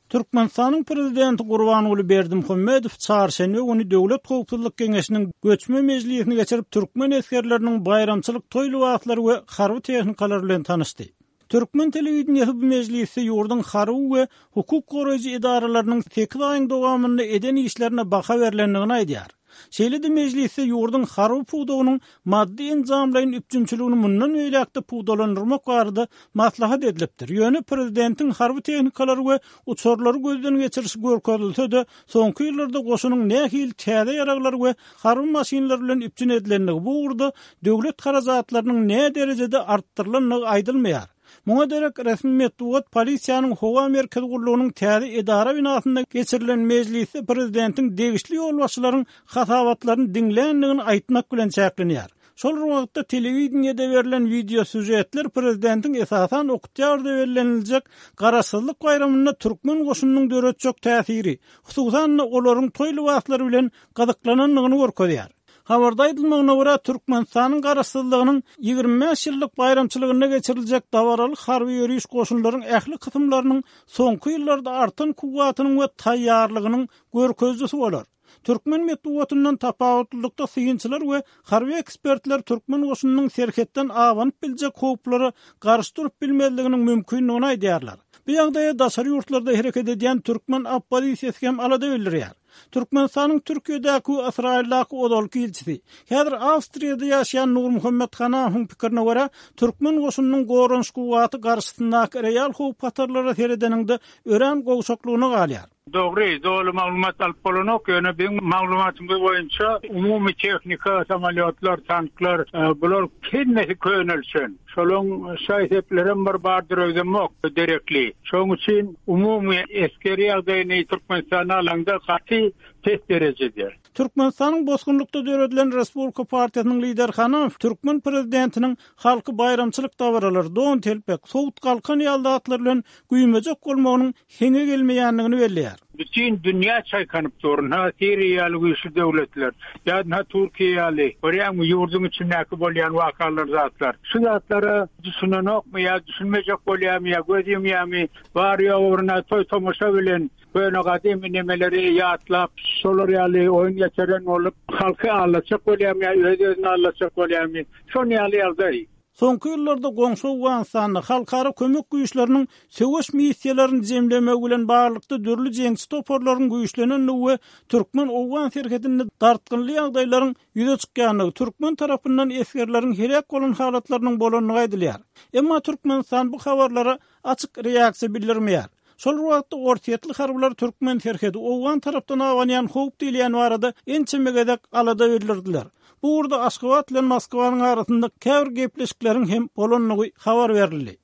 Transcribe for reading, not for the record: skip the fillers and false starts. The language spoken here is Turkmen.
Türkmenistanyň Prezidenti Gurbanguly Berdimuhamedow çarşenbe güni Döwlet howpsuzlyk geňeşiniň göçme mejlisini geçirip, türkmen esgerleriniň baýramçylyk toý lybaslary we harby tehnikalary bilen tanyşdy. Türkmen telewideniýesi bu mejlisde ýurduň harby we hukuk goraýjy edaralarynyň sekiz aýyň dowamynda eden işlerine baha berlendigini aýdýar. Şeýle-de mejlisde ýurduň harby pudagynyň maddy-enjamlaýyn üpjünçiligini mundan beýläk-de pugtalandyrmak barada maslahat edilipdir. Ýöne prezidentiň harby tehnikalary we uçarlary gözden geçirişi görkezilse-de, soňky ýyllarda goşunyň nähili täze ýaraglar we harby maşynlar bilen üpjün edilendigi, bu ugurda döwlet harajatlarynyň näderejede artdyrylandygy aýdylmaýar. Muňa derek resmi metbugat polisiýanyň howa merkezi gullugynyň täze edara binasynda geçirilen mejlisde prezidentiň degişli ýolbaşçylaryň hasabatlaryny diňländigini aýtmak bilen çäklenýär. Şol bir wagtda telewideniýede berlen wideosýužetler prezidentiň esasan oktýabrda belleniljek Garaşsyzlyk baýramynda türkmen goşunynyň döretjek täsiri, hususan-da olaryň toý lybaslary bilen gyzyklanandygyny görkezýär. Habarda aýdylmagyna görä, Türkmenistanyň Garaşsyzlygynyň 25 ýyllyk baýramçylygynda geçiriljek dabaraly harby ýöriş goşunlaryň ähli kysymlarynyň soňky ýyllarda artan kuwwatynyň we taýýarlygynyň görkezijisi bolar. Türkmen metbugatyndan tapawutlylykda synçylar we harby ekspertler türkmen goşunynyň serhetden abanyp biljek howplara garşy durup bilmezliginiň mümkindigini aýdýarlar. Bu ýagdaýa daşary ýurtlarda hereket edýän türkmen oppozisiýasy hem alada bildirýär. Türkmenistanyň Türkiýedäki we Ysraýyldaky ozalky ilçisi, häzir Awstriýada ýaşaýan Nurmuhammet Hanahowyň pikirine görä, türkmen goşunynyň goranyş kuwwaty garşysyndaky real howp-hatarlara seredeniňde örän gowşaklygyna galýar. Dogry, doly maglumat alyp bolanok, ýöne biziň maglumatymyz boýunça umumy tehnika, samolýotlar, tanklar, bular hemmesi könelişen. Şolaň şaý-seplerem bir bardyr öýdemok, derekli. Şoň üçin umumy esger ýagdaýyny Türkmenistanda alaňda gaty pes derejede. Türkmenistanyň bosgunlykda döredilen Respublika partiýasynyň lideri Hanow türkmen prezidentiniň halky baýramçylyk dabaralary, don-telpek, sowut-galkan ýaly zatlar bilen güýmejek bolmagynyň heňe gelmeýändigini belleýär. Bütin dünýä çaýkanyp dur. Ynha Siriýa ýaly güýçli döwletler, ýa ynha Türkiýe ýaly, görýäňmi ýurduň içindäki bolýan wakalar zatlar. Şu zatlara düşünenokmy ýa düşünmejek bolýarmy ýa göz ýumýarmy, bary-ýogy bir ynha toý-tomaşa bilen köne gadymy nemeleri ýatlap, şolar ýaly oýun geçiren bolup halky aldatjak bolýarmy ýa öz-özüni aldatjak bolýarmy, şon ýaly ýagdaý. Soňky ýyllarda goňşy Owganystanda halkara kömek güýçleriniň söweş missiýalaryny jemlemegi bilen baglylykda dürli jeňçi toparlaryň güýçlenendigi we türkmen-owgan serhedinde dartgynly ýagdaýlaryň ýüze çykýandygy, türkmen tarapyndan esgerleriň heläk bolan halatlarynyň bolandygy aýdylýar. Emma Türkmenistan bu habarlara açyk reaksiýa bildirmeýär. Şol bir wagtda, orsýetli harbylar türkmen serhedi owgan tarapdan abanýan howp diýilýän barada ençeme gezek alada bildirdiler. Bu ugurda Aşgabat bilen Moskwanyň arasynda käbir gepleşikleriň hem bolandygy habar berildi.